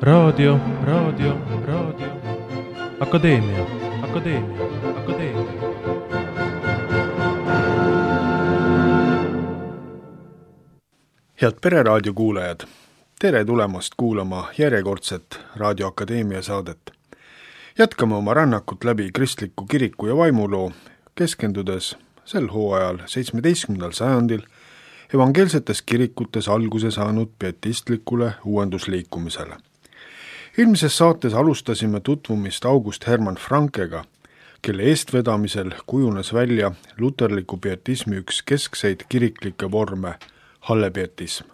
Raadio. Akadeemia. Head Pereraadio kuulajad, tere tulemast kuulama järjekordset Raadio Akadeemia saadet. Jätkame oma rännakut läbi kristliku kiriku ja vaimuloo, keskendudes sel hooajal 17. sajandil evangeelsetes kirikutes alguse saanud pietistlikule uuendusliikumisele. Eelmises saates alustasime tutvumist August Hermann Frankega, kelle eestvedamisel kujunes välja luterliku pietismi üks keskseid kiriklikke vorme, hallepietism.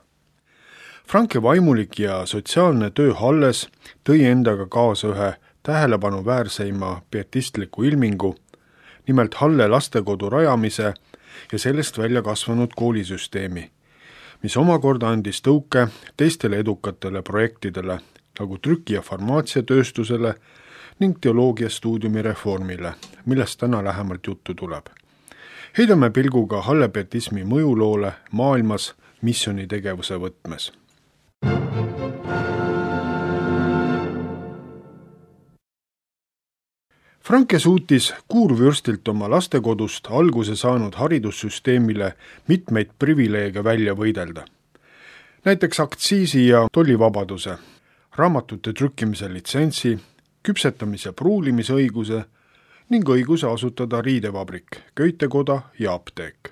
Franke vaimulik ja sotsiaalne töö Halles tõi endaga kaasa ühe tähelepanuväärseima pietistliku ilmingu, nimelt Halle lastekodu rajamise ja sellest välja kasvanud koolisüsteemi, mis omakorda andis tõuke teistele edukatele projektidele, nagu trüki- ja farmaatsiatööstusele ning teoloogiastuudiumi reformile, millest täna lähemalt juttu tuleb. Heidame pilguga hallepietismi mõjuloole maailmas missionitegevuse võtmes. Franke suutis kuurvürstilt oma lastekodust alguse saanud haridussüsteemile mitmeid privileege välja võidelda. Näiteks aktsiisi ja tollivabaduse, raamatute trükkimise litsentsi, küpsetamise pruulimisõiguse ning õiguse asutada riidevabrik, köitekoda ja apteek.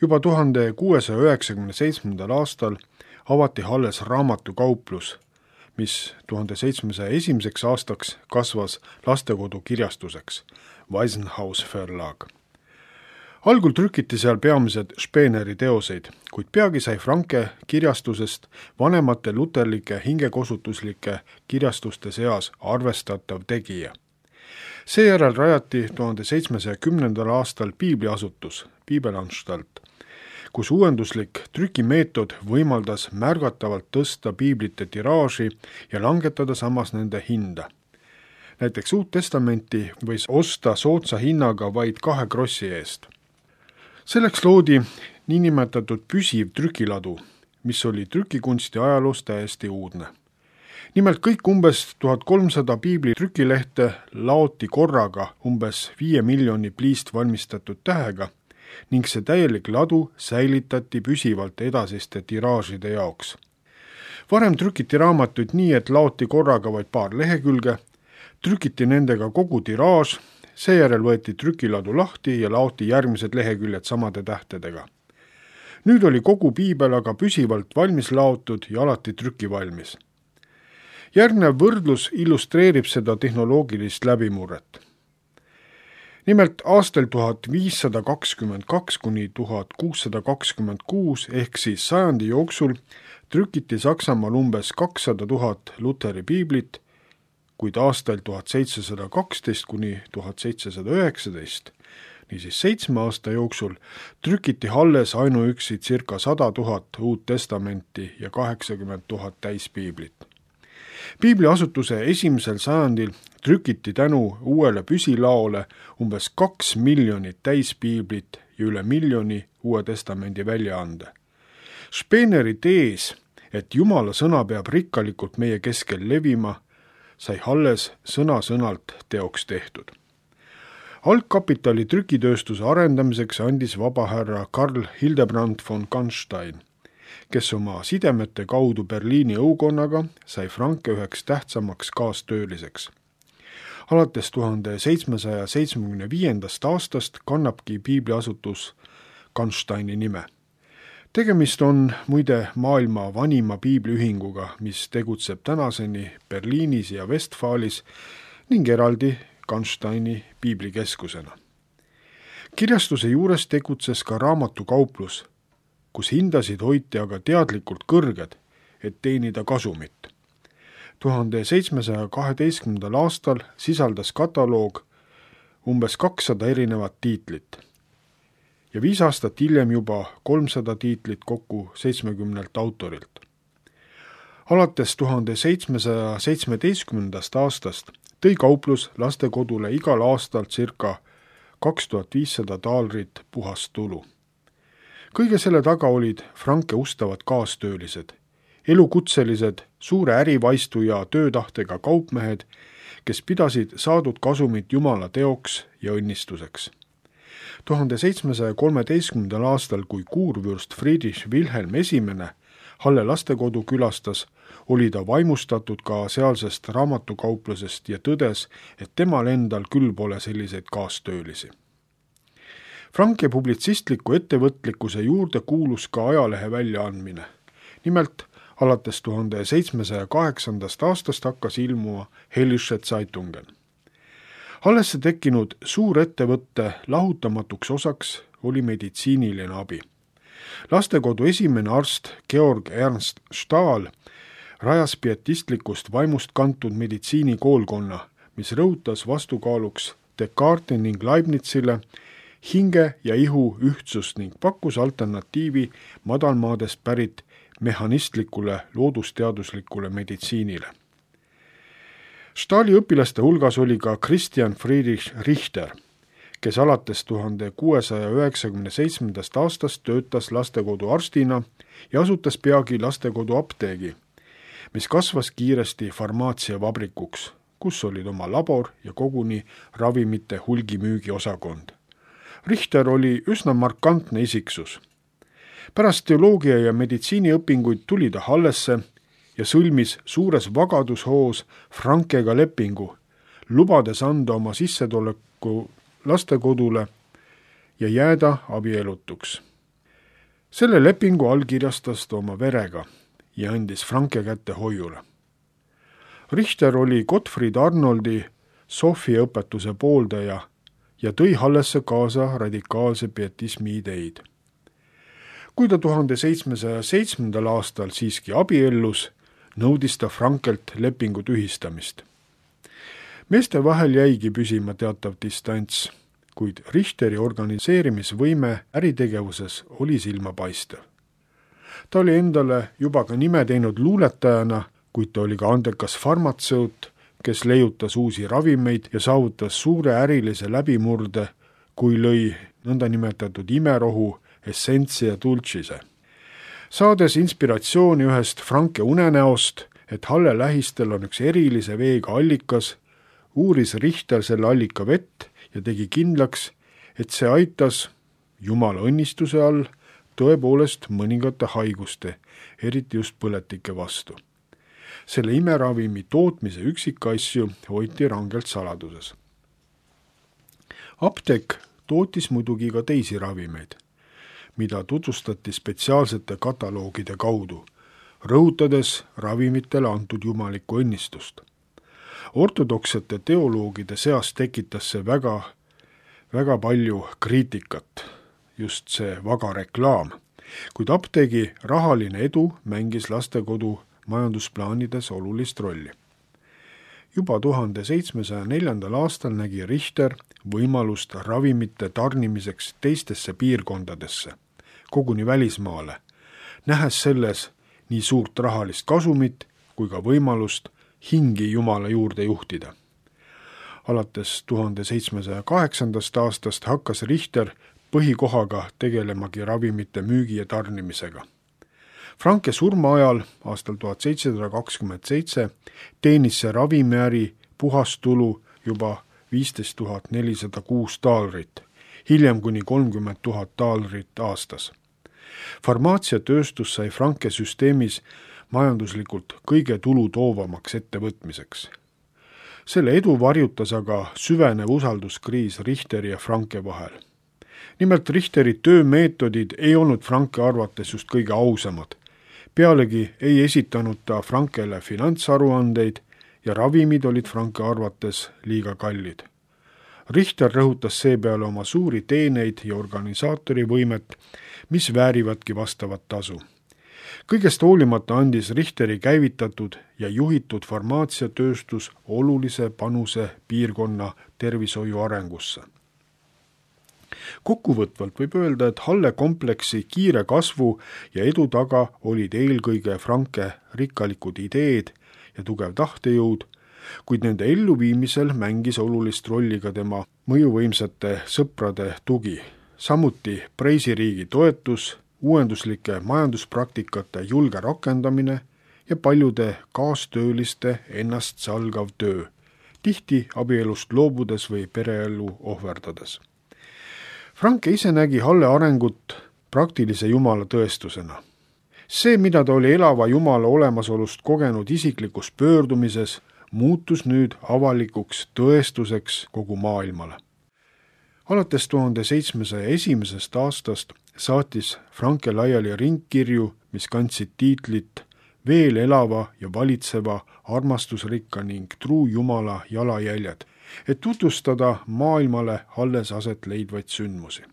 Juba 1697. aastal avati Halles raamatukauplus, mis 1701. aastaks kasvas lastekodu kirjastuseks, Waisenhaus Verlag. Algul trükiti seal peamised Speeneri teoseid, kuid peagi sai Franke kirjastusest vanemate luterlike hingekosutuslike kirjastuste seas arvestatav tegija. Seejärel rajati 1710. aastal piibliasutus, Piibelanstalt, kus uuenduslik trükimeetod võimaldas märgatavalt tõsta piiblite tiraaži ja langetada samas nende hinda. Näiteks Uut Testamenti võis osta soodsa hinnaga vaid 2 krossi eest. Selleks loodi niinimetatud püsiv trükiladu, mis oli trükikunsti ajaloos täiesti uudne. Nimelt kõik umbes 1300 piibli trükilehte laoti korraga umbes 5 miljoni pliist valmistatud tähega ning see täielik ladu säilitati püsivalt edasiste tiraažide jaoks. Varem trükiti raamatuid nii, et laoti korraga vaid paar lehekülge, trükiti nendega kogu tiraaž, seejärel võeti trükiladu lahti ja laoti järgmised leheküljed samade tähtedega. Nüüd oli kogu piibel aga püsivalt valmis laotud ja alati trükivalmis. Järgnev võrdlus illustreerib seda tehnoloogilist läbimurret. Nimelt aastal 1522 kuni 1626 ehk siis sajandi jooksul trükiti Saksamaal umbes 200 000 Luteri piiblit, kuid aastal 1712 kuni 1719, niisiis 7 aasta jooksul, trükiti Halles ainuüksi circa 100 000 Uut Testamenti ja 80 000 täispiiblit. Piibliasutuse esimesel sajandil trükiti tänu uuele püsilaole umbes 2 miljonit täispiiblit ja üle miljoni Uue Testamendi väljaande. Speeneri tees, et Jumala sõna peab rikkalikult meie keskel levima, sai Halles sõna-sõnalt teoks tehtud. Algkapitali trükitööstuse arendamiseks andis vabahärra Karl Hildebrand von Canstein, kes oma sidemete kaudu Berliini õukonnaga sai Franke üheks tähtsamaks kaastööliseks. Alates 1775. aastast kannabki piibliasutus Cansteini nime. Tegemist on muide maailma vanima piibliühinguga, mis tegutseb tänaseni Berliinis ja Westfalis ning eraldi Cansteini piiblikeskusena. Kirjastuse juures tegutses ka raamatukauplus, kus hindasid hoiti aga teadlikult kõrged, et teenida kasumit. 1712. aastal sisaldas kataloog umbes 200 erinevat tiitlit ja 5 aastat hiljem juba 300 tiitlit kokku 70 autorilt. Alates 1717. aastast tõi kauplus lastekodule igal aastal circa 2500 taalerit puhast tulu. Kõige selle taga olid Franke ustavad kaastöölised, elukutselised, suure ärivaistu ja töötahtega kaupmehed, kes pidasid saadud kasumit Jumala teoks ja õnnistuseks. 1713. aastal, kui kuurvürst Friedrich Wilhelm I Halle lastekodu külastas, oli ta vaimustatud ka sealsest raamatukauplusest ja tõdes, et temal endal küll pole selliseid kaastöölisi. Franke publitsistliku ettevõtlikkuse juurde kuulus ka ajalehe väljaandmine. Nimelt, alates 1708. aastast hakkas ilmuma Hellische Zeitungen. Hallesse tekkinud suurettevõtte lahutamatuks osaks oli meditsiiniline abi. Lastekodu esimene arst Georg Ernst Stahl rajas pietistlikust vaimust kantud meditsiinikoolkonna, mis rõhutas vastukaaluks Descartesi ning Leibnizile hinge ja ihu ühtsust ning pakkus alternatiivi madalmaadest pärit mehhanistlikule loodusteaduslikule meditsiinile. Stahli õpilaste hulgas oli ka Christian Friedrich Richter, kes alates 1697. aastast töötas lastekodu arstina ja asutas peagi lastekodu apteegi, mis kasvas kiiresti farmaatsiavabrikuks, kus olid oma labor ja koguni ravimite hulgimüügi osakond. Richter oli üsna markantne isiksus. Pärast teoloogia ja meditsiiniõpinguid tuli ta Hallesse ja sõlmis suures vagadushoos Frankega lepingu, lubades anda oma sissetuleku lastekodule ja jääda abielutuks. Selle lepingu allkirjastas ta oma verega ja andis Franke kätte hoiule. Richter oli Gottfried Arnoldi Sofia õpetuse pooldaja ja tõi Hallesse kaasa radikaalse pietismi ideid. Kui ta 1707. aastal siiski abiellus, nõudis ta Frankelt lepingu tühistamist. Meeste vahel jäigi püsima teatav distants, kuid Richteri organiseerimisvõime äritegevuses oli silmapaistev. Ta oli endale juba ka nime teinud luuletajana, kuid ta oli ka andekas farmatseut, kes leiutas uusi ravimeid ja saavutas suure ärilise läbimurde, kui lõi nõndanimetatud imerohu Essentia Dulcise. Saades inspiratsiooni ühest Franke unenäost, et Halle lähistel on üks erilise veega allikas, uuris Richter selle allika vett ja tegi kindlaks, et see aitas Jumala õnnistuse all tõepoolest mõningate haiguste, eriti just põletike vastu. Selle imeravimi tootmise üksikasju hoiti rangelt saladuses. Apteek tootis muidugi ka teisi ravimeid, mida tutvustati spetsiaalsete kataloogide kaudu, rõhutades ravimitele antud jumalikku õnnistust. Ortodoksete teoloogide seas tekitas see väga palju kriitikat, just see vaga reklaam, kuid apteegi rahaline edu mängis lastekodu majandusplaanides olulist rolli. Juba 1704. aastal nägi Richter võimalust ravimite tarnimiseks teistesse piirkondadesse, koguni välismaale, nähes selles nii suurt rahalist kasumit kui ka võimalust hingi Jumala juurde juhtida. Alates 1708. aastast hakkas Richter põhikohaga tegelemagi ravimite müügi ja tarnimisega. Franke surma ajal aastal 1727 teenis see ravimiäri puhastulu juba 15 406 taalerit, hiljem kuni 30 000 taalerit aastas. Farmaatsiatööstus sai Franke süsteemis majanduslikult kõige tulu toovamaks ettevõtmiseks. Selle edu varjutas aga süvenev usalduskriis Richteri ja Franke vahel. Nimelt Richteri töömeetodid ei olnud Franke arvates just kõige ausamad. Pealegi ei esitanud ta Frankele finantsaruandeid ja ravimid olid Franke arvates liiga kallid. Richter rõhutas seepeale oma suuri teeneid ja organisaatori võimet, mis väärivadki vastavat tasu. Kõigest hoolimata andis Richteri käivitatud ja juhitud farmaatsiatööstus olulise panuse piirkonna tervishoiu arengusse. Kokkuvõtvalt võib öelda, et Halle kompleksi kiire kasvu ja edu taga olid eelkõige Franke rikkalikud ideed ja tugev tahtejõud, kuid nende elluviimisel mängis olulist rolli ka tema mõjuvõimsate sõprade tugi, samuti Preisiriigi toetus, uuenduslike majanduspraktikate julge rakendamine ja paljude kaastööliste ennast salgav töö, tihti abielust loobudes või pereelu ohverdades. Franke ise nägi Halle arengut praktilise Jumala tõestusena. See, mida ta oli elava Jumala olemasolust kogenud isiklikus pöördumises, muutus nüüd avalikuks tõestuseks kogu maailmale. Alates 1701. aastast saatis Franke laiali ringkirju, mis kandsid tiitlit Veel elava ja valitseva armastusrikka ning truu Jumala jalajäljed, et tutvustada maailmale alles aset leidvaid sündmusi.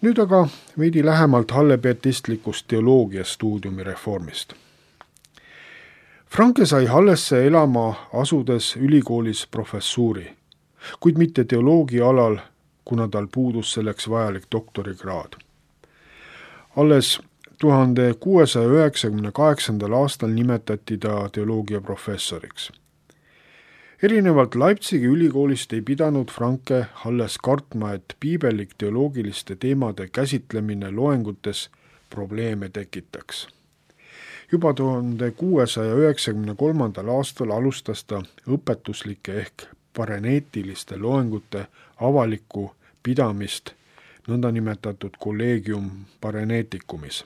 Nüüd aga veidi lähemalt hallepietistlikust teoloogia stuudiumi reformist. Franke sai Hallesse elama asudes ülikoolis professuuri, kuid mitte teoloogia alal, kuna tal puudus selleks vajalik doktorikraad. Alles 1698. aastal nimetati ta teoloogia professoriks. Erinevalt Leipzigi ülikoolist ei pidanud Franke Halles kartma, et piibellik teoloogiliste teemade käsitlemine loengutes probleeme tekitaks. Juba 1693. aastal alustas ta õpetuslike ehk pareneetiliste loengute avalikku pidamist nõndanimetatud collegium pareneticumis.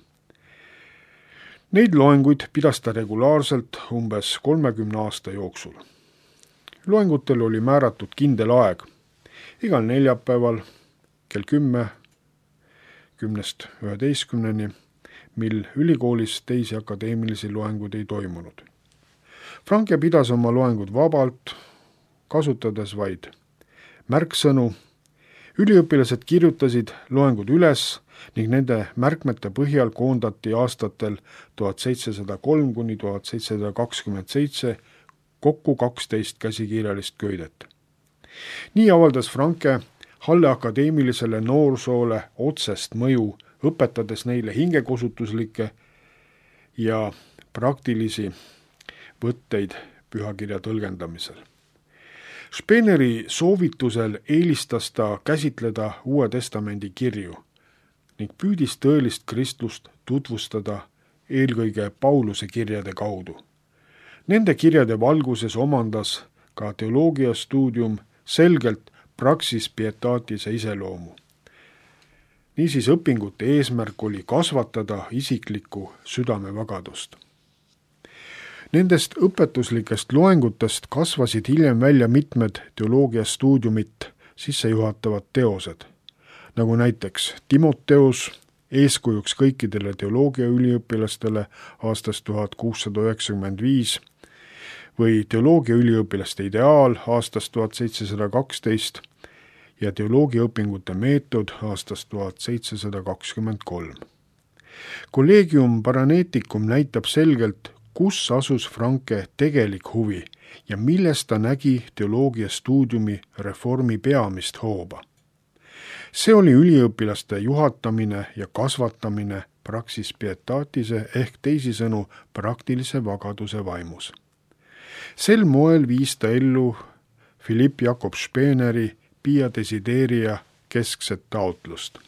Neid loenguid pidas ta regulaarselt umbes 30 aasta jooksul. Loengutel oli määratud kindel aeg, igal neljapäeval kell 10, 10–11, mil ülikoolis teisi akadeemilisi loenguid ei toimunud. Franke pidas oma loengud vabalt, kasutades vaid märksõnu. Üliõpilased kirjutasid loengud üles ning nende märkmete põhjal koondati aastatel 1703–1727 kokku 12 käsikirjalist köidet. Nii avaldas Franke Halle akadeemilisele noorsoole otsest mõju, õpetades neile hingekosutuslikke ja praktilisi võtteid pühakirja tõlgendamisel. Speneri soovitusel eelistas ta käsitleda Uue Testamendi kirju ning püüdis tõelist kristlust tutvustada eelkõige Pauluse kirjade kaudu. Nende kirjade valguses omandas ka teoloogia stuudium selgelt praxis pietaatise iseloomu. Niisiis õpingute eesmärk oli kasvatada isiklikku südamevagadust. Nendest õpetuslikest loengutest kasvasid hiljem välja mitmed teoloogiastuudiumit sissejuhatavad teosed, nagu näiteks Timoteus, eeskujuks kõikidele teoloogiaüliõpilastele aastast 1695 või teoloogiaüliõpilaste ideaal aastast 1712 ja teoloogiaõpingute meetod aastast 1723. Collegium Paraneticum näitab selgelt, kus asus Franke tegelik huvi ja milles ta nägi teoloogiastuudiumi reformi peamist hooba. See oli üliõpilaste juhatamine ja kasvatamine praxis pietaatise ehk teisisõnu praktilise vagaduse vaimus. Sel moel viis ta ellu Philipp Jakob Speneri Pia Desideria keskset taotlust.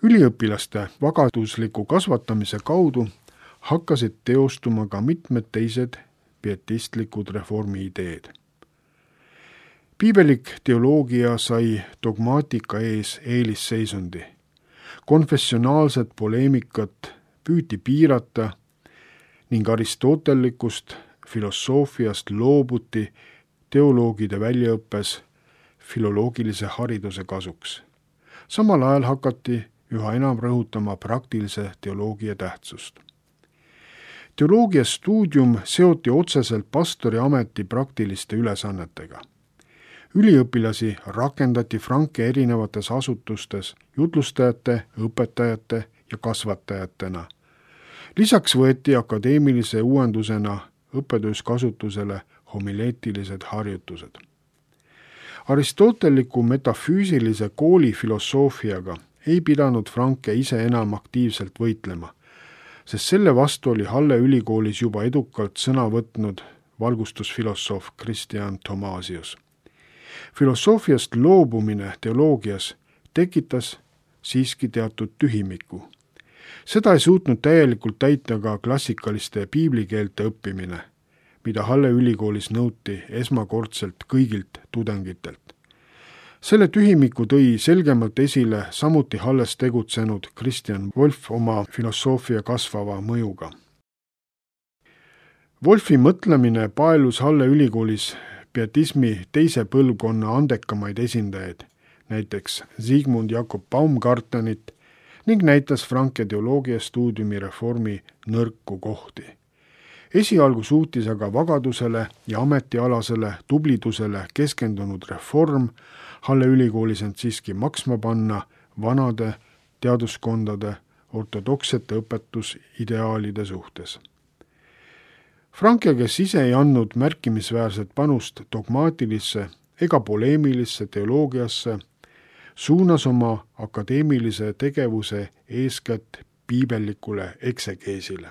Üliõpilaste vagadusliku kasvatamise kaudu hakkasid teostuma ka mitmed teised pietistlikud reformi ideed. Piibelik teoloogia sai dogmaatika ees eelisseisundi. Konfessionaalset poleemikat püüti piirata ning aristotellikust filosoofiast loobuti teoloogide väljaõppes filoloogilise hariduse kasuks. Samal ajal hakati üha enam rõhutama praktilise teoloogia tähtsust. Teoloogia stuudium seoti otseselt pastori ameti praktiliste ülesannetega. Üliõpilasi rakendati Franke erinevates asutustes jutlustajate, õpetajate ja kasvatajatena. Lisaks võeti akadeemilise uuendusena õppetöös kasutusele homileetilised harjutused. Aristoteliku metafüüsilise kooli filosoofiaga ei pidanud Franke ise enam aktiivselt võitlema, sest selle vastu oli Halle ülikoolis juba edukalt sõna võtnud valgustusfilosoof Christian Thomasius. Filosoofiast loobumine teoloogias tekitas siiski teatud tühimiku. Seda ei suutnud täielikult täita ka klassikaliste piiblikeelte õppimine, mida Halle ülikoolis nõuti esmakordselt kõigilt tudengitelt. Selle tühimiku tõi selgemalt esile samuti Halles tegutsenud Christian Wolff oma filosoofia kasvava mõjuga. Wolffi mõtlemine paelus Halle ülikoolis pietismi teise põlvkonna andekamaid esindajaid, näiteks Sigmund Jakob Baumgartenit, ning näitas Franke teoloogia stuudiumi reformi nõrku kohti. Esialgu suutis aga vagadusele ja ametialasele tublidusele keskendunud reform Halle ülikoolis end siiski maksma panna vanade teaduskondade ortodoksete õpetusideaalide suhtes. Franke, kes ise ei andnud märkimisväärset panust dogmaatilisse ega poleemilisse teoloogiasse, suunas oma akadeemilise tegevuse eeskätt piibellikule eksegeesile.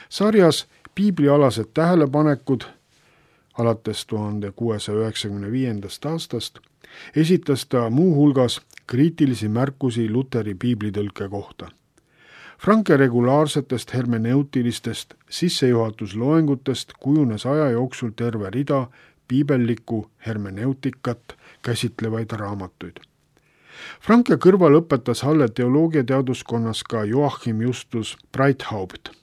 Sarjas piiblialased tähelepanekud alates 1695. aastast esitas ta muu hulgas kriitilisi märkusi Luteri piiblitõlke kohta. Franke regulaarsetest hermeneutilistest sissejuhatusloengutest kujunes aja jooksul terve rida piibellikku hermeneutikat käsitlevaid raamatuid. Franke kõrval õpetas Halle teoloogiateaduskonnas ka Joachim Justus Breithaupt.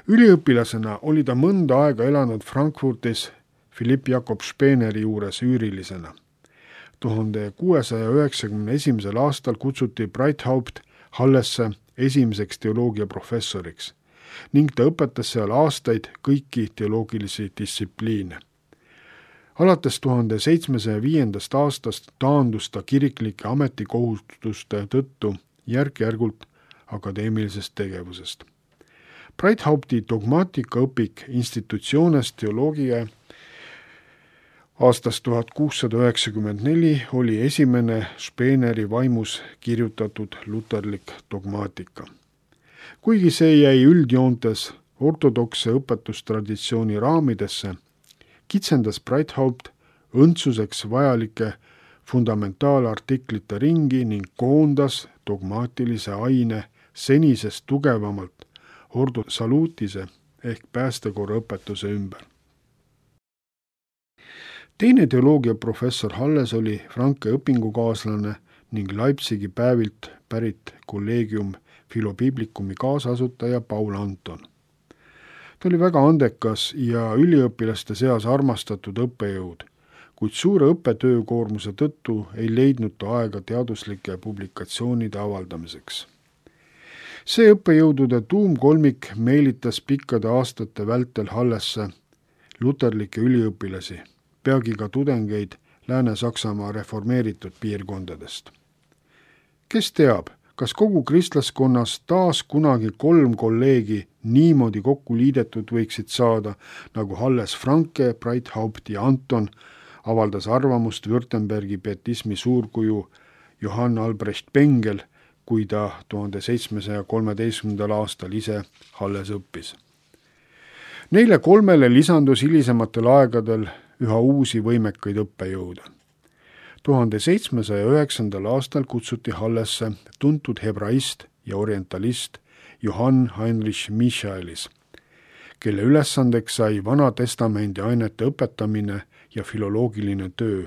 Üliõpilasena oli ta mõnda aega elanud Frankfurtis Philipp Jakob Speneri juures üürilisena. 1691. aastal kutsuti Breithaupt Hallesse esimeseks teoloogiaprofessoriks ning ta õpetas seal aastaid kõiki teoloogilisi distsipliine. Alates 1705. aastast taandus ta kiriklike ametikohustuste tõttu järk-järgult akadeemilisest tegevusest. Breithaupti dogmaatikaõpik Institutiones Theologiae aastast 1694 oli esimene Speneri vaimus kirjutatud luterlik dogmaatika. Kuigi see jäi üldjoontes ortodokse õpetustraditsiooni raamidesse, kitsendas Breithaupt õndsuseks vajalike fundamentaalartiklite ringi ning koondas dogmaatilise aine senisest tugevamalt ordo salutise ehk päästekorra õpetuse ümber. Teine teoloogiaprofessor Halles oli Franke õpingukaaslane ning Leipzigi päevilt pärit kolleegium Philobiblicumi kaasasutaja Paul Anton. Ta oli väga andekas ja üliõpilaste seas armastatud õppejõud, kuid suure õppetöökoormuse tõttu ei leidnud ta aega teaduslike publikatsioonide avaldamiseks. See õppejõudude tuumkolmik meelitas pikkade aastate vältel Hallesse luterlikke üliõpilasi, peagi ka tudengeid Lääne-Saksamaa reformeeritud piirkondadest. Kes teab, kas kogu kristlaskonnas taas kunagi 3 kolleegi niimoodi kokku liidetud võiksid saada, nagu Halles Franke, Breithaupt ja Anton, avaldas arvamust Württembergi pietismi suurkuju Johann Albrecht Bengel, kui ta 1713. aastal ise Halles õppis. Neile 3 lisandus hilisematel aegadel üha uusi võimekaid õppejõude. 1709. aastal kutsuti Hallesse tuntud hebraist ja orientalist Johann Heinrich Michaelis, kelle ülesandeks sai Vana Testamendi ainete õpetamine ja filoloogiline töö,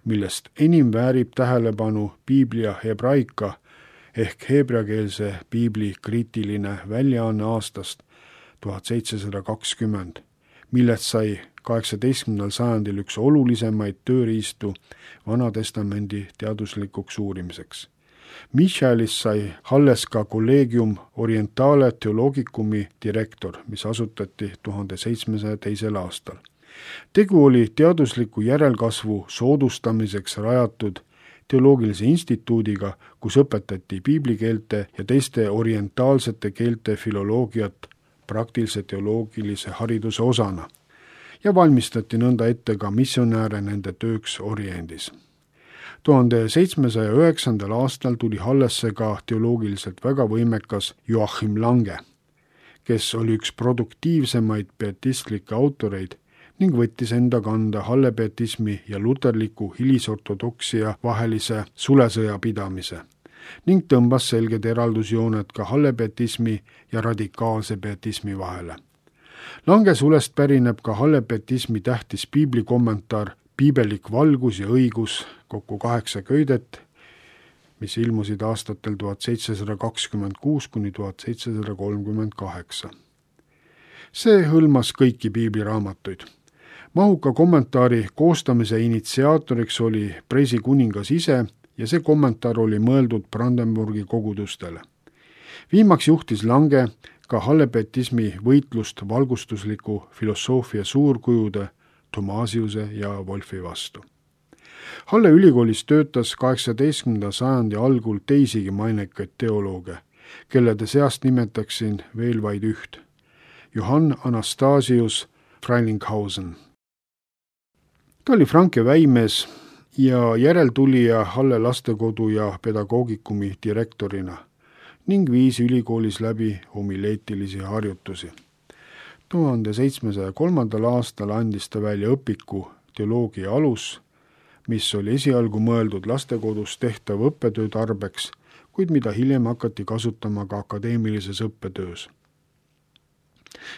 millest enim väärib tähelepanu Biblia hebraika ehk heebreakeelse piibli kriitiline väljaanne aastast 1720, millest sai 18. sajandil üks olulisemaid tööriistu Vana Testamendi teaduslikuks uurimiseks. Michaelis sai Halles ka Collegium Orientale Theologicumi direktor, mis asutati 1702. aastal. Tegu oli teadusliku järelkasvu soodustamiseks rajatud teoloogilise instituudiga, kus õpetati piiblikeelte ja teiste orientaalsete keelte filoloogiat praktilise teoloogilise hariduse osana ja valmistati nõnda ette ka missionääre nende tööks Oriendis. 1709. aastal tuli Hallesse ka teoloogiliselt väga võimekas Joachim Lange, kes oli üks produktiivsemaid pietistlikke autoreid ning võttis enda kanda Halle pietismi ja luterliku hilisortodoksia vahelise sulesõja pidamise ning tõmbas selged eraldusjooned ka Halle pietismi ja radikaalse pietismi vahele. Lange sulest pärineb ka Halle pietismi tähtis piiblikommentaar Piibelik valgus ja õigus, kokku 8 köidet, mis ilmusid aastatel 1726 kuni 1738. See hõlmas kõiki piibliraamatuid. Mahuka kommentaari koostamise initsiaatoriks oli Preisi kuningas ise ja see kommentaar oli mõeldud Brandenburgi kogudustele. Viimaks juhtis Lange ka Halle pietismi võitlust valgustusliku filosoofia suurkujude Thomasiuse ja Wolfi vastu. Halle ülikoolis töötas 18. sajandi algul teisigi mainekaid teolooge, kellede seast nimetaksin veel vaid üht, Johann Anastasius Frelinghausen. Ta oli Franke väimees ja järeltulija Halle lastekodu ja pedagoogikumi direktorina ning viis ülikoolis läbi homileetilisi harjutusi. 1703. aastal andis ta välja õpiku Teoloogia alus, mis oli esialgu mõeldud lastekodus tehtav õppetöö tarbeks, kuid mida hiljem hakati kasutama ka akadeemilises õppetöös.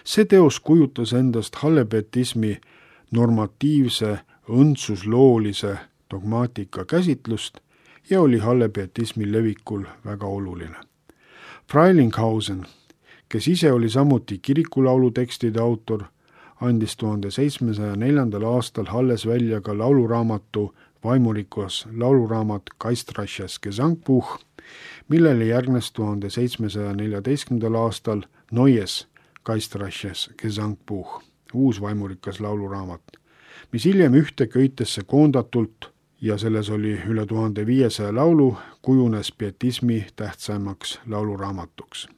See teos kujutas endast Halle pietismi normatiivse õndsusloolise dogmaatika käsitlust ja oli Halle pietismi levikul väga oluline. Frelinghausen, kes ise oli samuti kirikulaulu tekstide autor, andis 1704. aastal Halles välja ka lauluraamatu vaimurikas lauluraamat Geistreiches Gesangbuch, millele järgnes 1714. aastal Neues Geistreiches Gesangbuch, uus vaimurikas lauluraamat, mis hiljem ühte köitesse koondatult ja selles oli üle 1500 laulu, kujunes pietismi tähtsaimaks lauluraamatuks.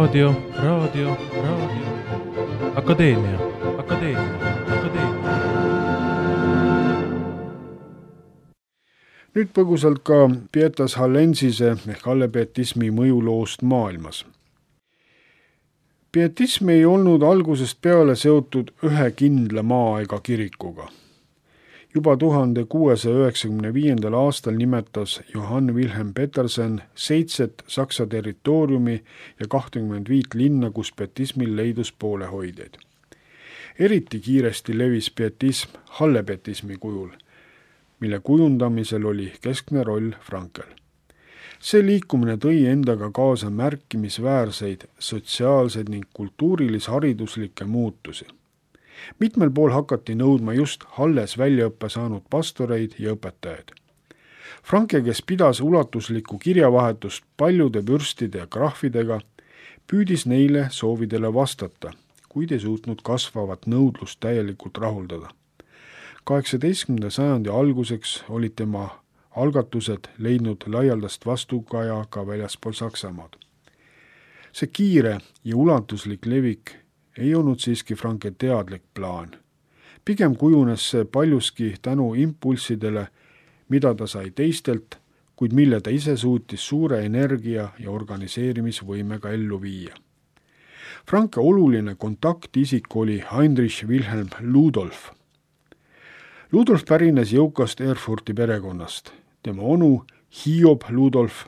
Raadio. Akadeemia. Nüüd põgusalt ka Pietas Hallensise ehk hallepietismi mõjuloost maailmas. Pietism ei olnud algusest peale seotud ühe kindla maa ega kirikuga. Juba 1695. aastal nimetas Johann Wilhelm Petersen 7 Saksa territooriumi ja 25 linna, kus pietismil leidus poolehoidjaid. Eriti kiiresti levis pietism hallepietismi kujul, mille kujundamisel oli keskne roll Frankel. See liikumine tõi endaga kaasa märkimisväärseid sotsiaalseid ning kultuurilis-hariduslikke muutusi. Mitmel pool hakati nõudma just Halles väljaõppe saanud pastoreid ja õpetajaid. Franke, kes pidas ulatuslikku kirjavahetust paljude vürstide ja krahvidega, püüdis neile soovidele vastata, kuid ei suutnud kasvavat nõudlust täielikult rahuldada. 18. sajandi alguseks olid tema algatused leidnud laialdast vastukaja ka väljaspool Saksamaad. See kiire ja ulatuslik levik ei olnud siiski Franke teadlik plaan. Pigem kujunes see paljuski tänu impulssidele, mida ta sai teistelt, kuid mille ta ise suutis suure energia ja organiseerimisvõimega ellu viia. Franke oluline kontaktisik oli Heinrich Wilhelm Ludolf. Ludolf pärines jõukast Erfurti perekonnast. Tema onu Hiob Ludolf,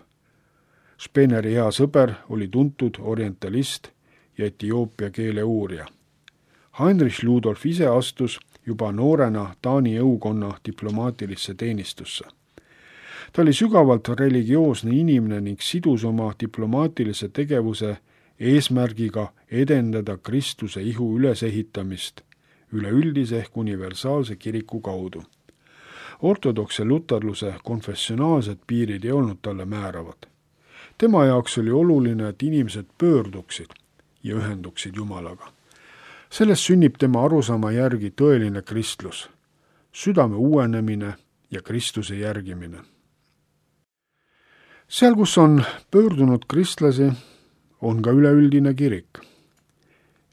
Speneri hea sõber, oli tuntud orientalist ja Etioopia keele uurija. Heinrich Ludolf ise astus juba noorena Taani jõukonna diplomaatilisse teenistusse. Ta oli sügavalt religioosne inimene ning sidus oma diplomaatilise tegevuse eesmärgiga edendada Kristuse ihu ülesehitamist üleüldise ehk universaalse kiriku kaudu. Ortodokse luterluse konfessionaalsed piirid ei olnud talle määravad. Tema jaoks oli oluline, et inimesed pöörduksid ja ühenduksid Jumalaga. Sellest sünnib tema arusaama järgi tõeline kristlus, südame uuenemine ja Kristuse järgimine. Seal, kus on pöördunud kristlasi, on ka üleüldine kirik.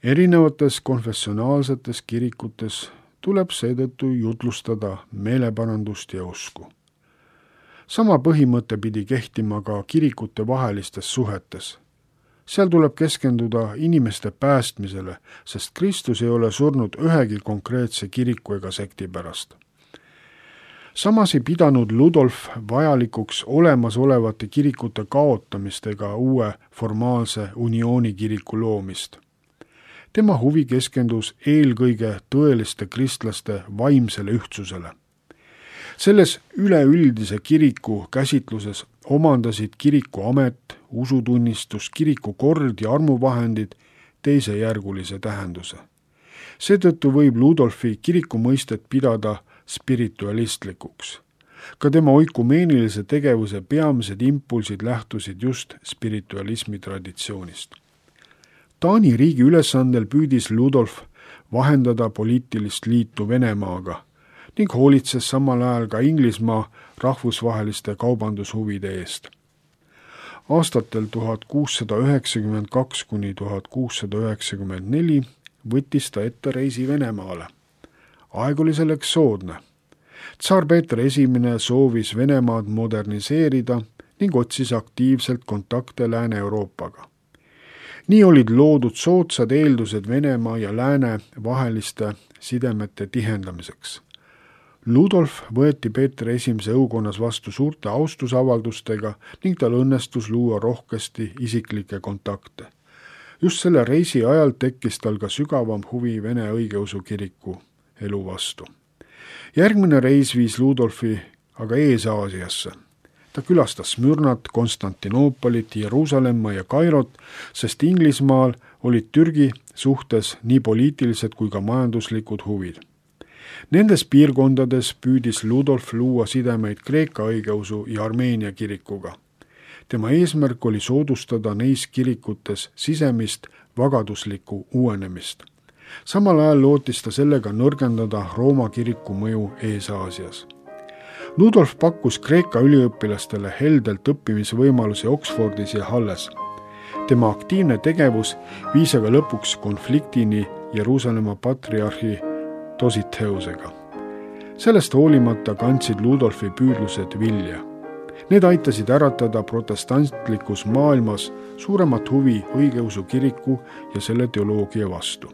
Erinevates konfessionaalsetes kirikutes tuleb seetõttu jutlustada meeleparandust ja usku. Sama põhimõte pidi kehtima ka kirikute vahelistes suhetes. Seal tuleb keskenduda inimeste päästmisele, sest Kristus ei ole surnud ühegi konkreetse kiriku ega sekti pärast. Samas ei pidanud Ludolf vajalikuks olemasolevate kirikute kaotamist ega uue formaalse uniooni kiriku loomist. Tema huvi keskendus eelkõige tõeliste kristlaste vaimsele ühtsusele. Selles üleüldise kiriku käsitluses omandasid kiriku amet, usutunnistus, kiriku kord ja armuvahendid teisejärgulise tähenduse. Seetõttu võib Ludolfi kiriku mõistet pidada spiritualistlikuks. Ka tema oikumeenilise tegevuse peamised impulsid lähtusid just spiritualismi traditsioonist. Taani riigi ülesandel püüdis Ludolf vahendada poliitilist liitu Venemaaga ning hoolitses samal ajal ka Inglismaa rahvusvaheliste kaubandushuvide eest. Aastatel 1692 kuni 1694 võttis ta ette reisi Venemaale. Aeg oli selleks soodne. Tsar Peeter I soovis Venemaad moderniseerida ning otsis aktiivselt kontakte Lääne-Euroopaga. Nii olid loodud soodsad eeldused Venemaa ja Lääne vaheliste sidemete tihendamiseks. Ludolf võeti Peeter I õukonnas vastu suurte austusavaldustega ning tal õnnestus luua rohkesti isiklikke kontakte. Just selle reisi ajal tekkis tal ka sügavam huvi Vene õigeusu kiriku elu vastu. Järgmine reis viis Ludolfi aga Ees-Aasiasse. Ta külastas Smürnat, Konstantinoopolit, Jeruusalemma ja Kairot, sest Inglismaal olid Türgi suhtes nii poliitilised kui ka majanduslikud huvid. Nendes piirkondades püüdis Ludolf luua sidemeid Kreeka õigeusu ja Armeenia kirikuga. Tema eesmärk oli soodustada neis kirikutes sisemist vagaduslikku uuenemist. Samal ajal lootis ta sellega nõrgendada Rooma kiriku mõju Ees-Aasias. Ludolf pakkus Kreeka üliõpilastele heldelt õppimisvõimalusi Oxfordis ja Halles. Tema aktiivne tegevus viis aga lõpuks konfliktini Jeruusalemma patriarhi Dositeusega. Sellest hoolimata kandsid Ludolfi püüdlused vilja. Need aitasid äratada protestantlikus maailmas suuremat huvi õigeusu kiriku ja selle teoloogia vastu.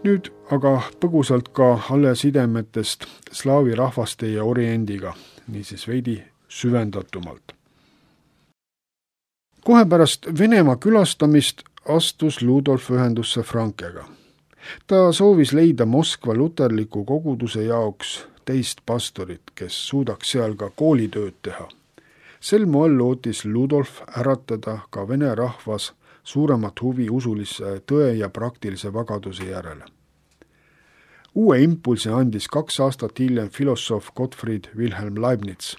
Nüüd aga põgusalt ka Halle sidemetest slaavi rahvaste ja oriendiga, niisiis veidi süvendatumalt. Kohe pärast Venemaa külastamist astus Ludolf ühendusse Frankega. Ta soovis leida Moskva luterliku koguduse jaoks teist pastorit, kes suudaks seal ka koolitööd teha. Sel moel lootis Ludolf äratada ka vene rahvas suuremat huvi usulise tõe ja praktilise vagaduse järele. Uue impulsi andis 2 aastat hiljem filosoof Gottfried Wilhelm Leibniz,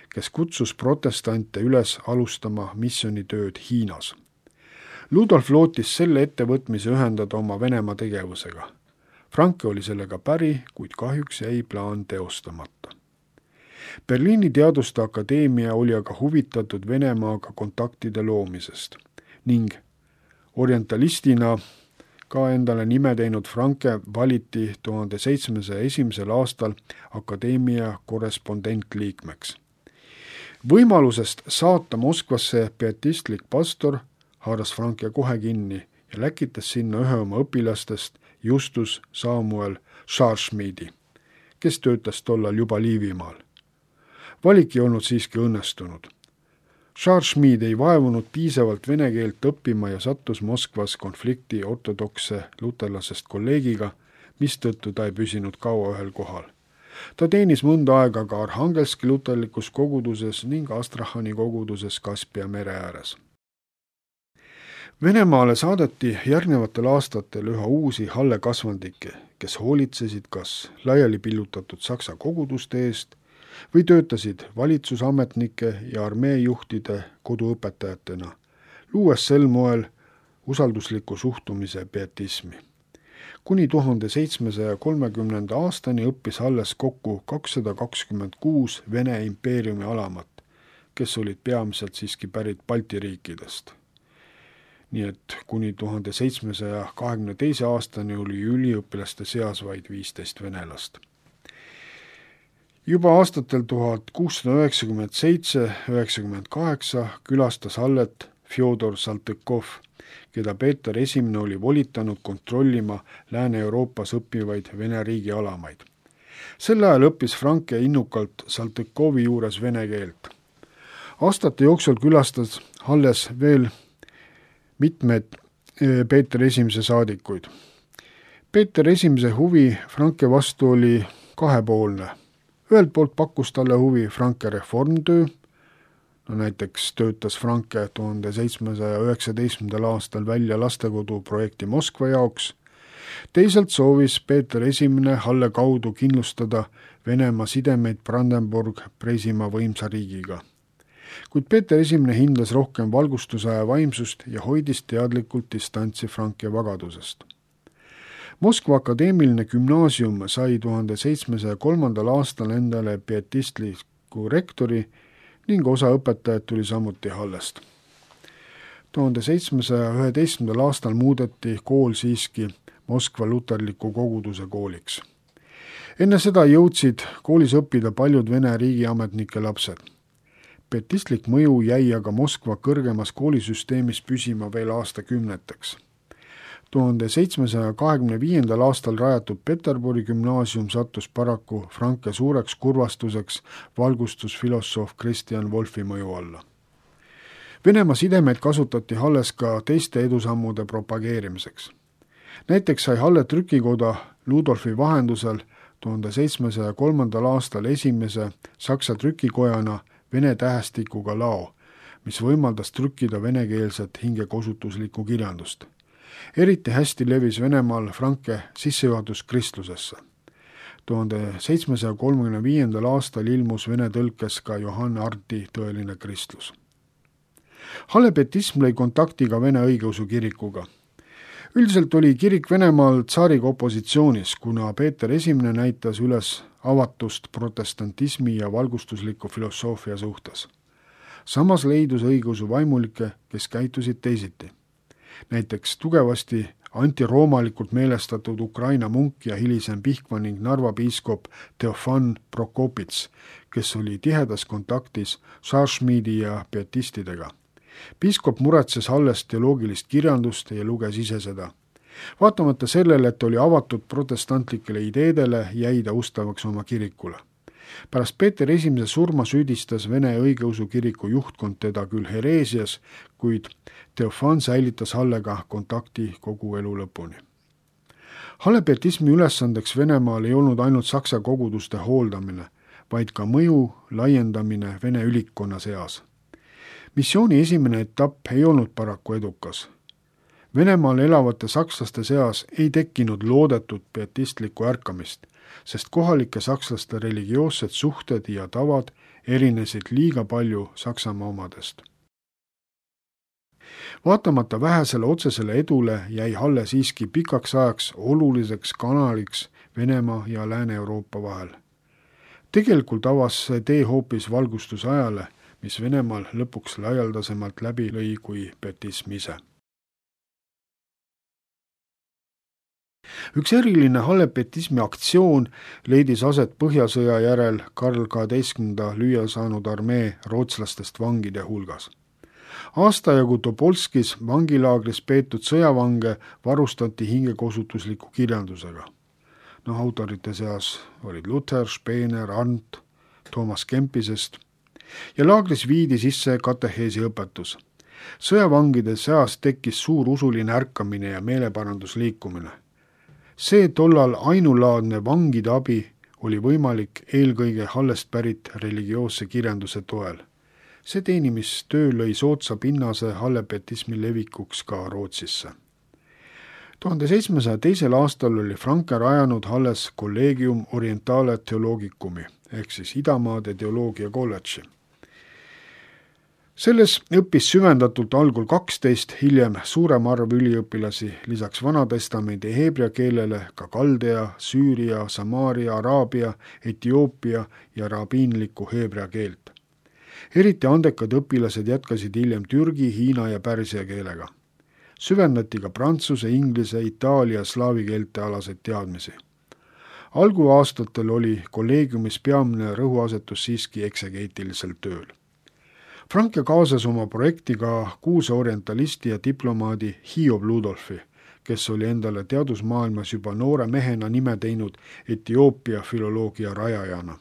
kes kutsus protestante üles alustama missioonitööd Hiinas. Ludolf lootis selle ettevõtmise ühendada oma Venemaa tegevusega. Franke oli sellega päri, kuid kahjuks jäi plaan teostamata. Berliini Teaduste Akadeemia oli aga huvitatud Venemaaga kontaktide loomisest ning orientalistina ka endale nime teinud Franke valiti 1701. aastal akadeemia korrespondentliikmeks. Võimalusest saata Moskvasse pietistlik pastor haaras Franke kohe kinni ja läkitas sinna ühe oma õpilastest Justus Samuel Scharschmidi, kes töötas tollal juba Liivimaal. Valik ei olnud siiski õnnestunud. Scharschmid ei vaevunud piisavalt vene keelt õppima ja sattus Moskvas konflikti ortodokse luterlasest kolleegiga, mistõttu ta ei püsinud kaua ühel kohal. Ta teenis mõnda aega ka Arhangelski luterlikus koguduses ning Astrahani koguduses Kaspia mere ääres. Venemaale saadeti järgnevatel aastatel üha uusi Halle kasvandikke, kes hoolitsesid kas laiali pillutatud saksa koguduste eest või töötasid valitsusametnike ja armeejuhtide koduõpetajatena, luues sel moel usaldusliku suhtumise pietismi. Kuni 1730. aastani õppis Halles kokku 226 Vene impeeriumi alamat, kes olid peamiselt siiski pärit Balti riikidest. Nii et kuni 1722. aastani oli üliõpilaste seas vaid 15 venelast. Juba aastatel 1697-98 külastas Hallet Fjodor Saltõkov, keda Peeter I oli volitanud kontrollima Lääne-Euroopas õppivaid Vene riigi alamaid. Sel ajal õppis Franke innukalt Saltõkovi juures vene keelt. Aastate jooksul külastas Halles veel mitmed Peeter I saadikuid. Peeter I huvi Franke vastu oli kahepoolne. Ühelt poolt pakkus talle huvi Franke reformtöö, näiteks töötas Franke 1719. aastal välja lastekodu projekti Moskva jaoks. Teisalt soovis Peeter I Halle kaudu kindlustada Venemaa sidemeid Brandenburg-Preisimaa võimsa riigiga. Kuid Peeter I hindas rohkem valgustusaja vaimsust ja hoidis teadlikult distantsi Franke vagadusest. Moskva akadeemiline gümnaasium sai 1703. aastal endale pietistliku rektori ning osa õpetajad tuli samuti Hallest. 1711. aastal muudeti kool siiski Moskva luterliku koguduse kooliks. Enne seda jõudsid koolis õppida paljud Vene riigiametnike lapsed. Pietistlik mõju jäi aga Moskva kõrgemas koolisüsteemis püsima veel aastakümneteks. 1725. aastal rajatud Peterburi gümnaasium sattus paraku Franke suureks kurvastuseks valgustusfilosoof Christian Wolffi mõju alla. Venemaa sidemeid kasutati Halles ka teiste edusammude propageerimiseks. Näiteks sai Halle trükikoda Ludolfi vahendusel 1703. aastal esimese Saksa trükikojana vene tähestikuga lao, mis võimaldas trükkida venekeelset hingekosutuslikku kirjandust. Eriti hästi levis Venemaal Franke sissejuhatus kristlusesse. 1735. aastal ilmus vene tõlkes ka Johann Arti Tõeline kristlus. Halle pietism lõi kontakti ka Vene õigeusu kirikuga. Üldiselt oli kirik Venemaal tsaariga opositsioonis, kuna Peeter I näitas üles avatust protestantismi ja valgustusliku filosoofia suhtes. Samas leidus õigeusu vaimulikke, kes käitusid teisiti. Näiteks tugevasti antiroomalikult meelestatud Ukraina munk ja hilisem Pihkva ning Narva piiskop Teofan Prokopits, kes oli tihedas kontaktis Šašmidi ja pietistidega. Piiskop muretses Halles teoloogilist kirjandust ja luges ise seda. Vaatamata sellele, et oli avatud protestantlikele ideedele, jäi ta ustavaks oma kirikule. Pärast Peeter I surma süüdistas Vene õigeusu kiriku juhtkond teda küll hereesias, kuid Teofan säilitas Hallega kontakti kogu elu lõpuni. Halle pietismi ülesandeks Venemaal ei olnud ainult saksa koguduste hooldamine, vaid ka mõju laiendamine Vene ülikkonna seas. Missiooni esimene etapp ei olnud paraku edukas. Venemaal elavate sakslaste seas ei tekkinud loodetud pietistlikku ärkamist, sest kohalike sakslaste religioossed suhted ja tavad erinesid liiga palju Saksamaa omadest. Vaatamata vähesele otsesele edule jäi Halle siiski pikaks ajaks oluliseks kanaliks Venemaa ja Lääne-Euroopa vahel. Tegelikult avas see tee hoopis valgustusajale, mis Venemaal lõpuks laialdasemalt läbi lõi kui pietism ise. Üks eriline Halle pietismi aktsioon leidis aset Põhjasõja järel Karl XII lüüa saanud armee rootslastest vangide hulgas. Aastajagu Topolskis vangilaagris peetud sõjavange varustati hingekosutusliku kirjandusega. Autorite seas olid Luther, Spener, Arndt, Toomas Kempisest ja laagris viidi sisse kateheesi õpetus. Sõjavangide seas tekkis suur usuline ärkamine ja meeleparandusliikumine. See tollal ainulaadne vangide abi oli võimalik eelkõige Hallest pärit religioosse kirjanduse toel. See teenimistöö lõi soodsa pinnase Halle pietismi levikuks ka Rootsisse. 1702. aastal oli Franke rajanud Halles Collegium Orientale Theologicumi ehk siis Idamaade teoloogia kolledži. Selles õppis süvendatult algul 12, hiljem suurem arv üliõpilasi, lisaks Vanatestamendi heebrea keelele ka kaldea, Süüria, Samaaria, Araabia, Etioopia ja rabiinlikku heebrea keelt. Eriti andekad õpilased jätkasid hiljem türgi, hiina ja pärsia keelega. Süvendati ka prantsuse, inglise, itaalia, slaavi keelte alaseid teadmisi. Alguaastatel oli kolleegiumis peamine rõhuasetus siiski eksegeetilisel tööl. Franke kaasas oma projekti ka kuulsa orientalisti ja diplomaadi Hiob Ludolfi, kes oli endale teadusmaailmas juba noore mehena nime teinud Etioopia filoloogia rajajana.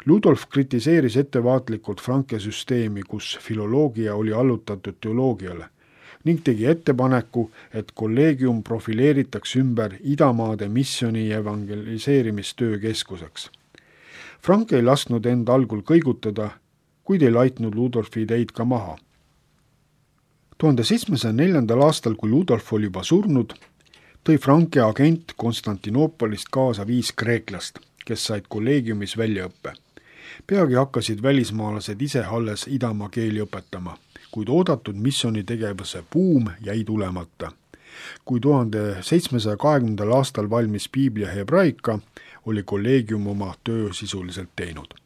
Ludolf kritiseeris ettevaatlikult Franke süsteemi, kus filoloogia oli allutatud teoloogiale, ning tegi ettepaneku, et kolleegium profileeritaks ümber Idamaade missiooni ja evangeliseerimistöö keskuseks. Franke ei lasknud end algul kõigutada, kuid ei laitnud Ludolfi ideid ka maha. 1704. aastal, kui Ludolf oli juba surnud, tõi Franke agent Konstantinoopolist kaasa 5 kreeklast, kes said kolleegiumis väljaõppe. Peagi hakkasid välismaalased ise Halles idamaa keeli õpetama, kuid oodatud missioonitegevuse buum jäi tulemata. Kui 1720. aastal valmis piiblia hebraika, oli kolleegium oma töö sisuliselt teinud.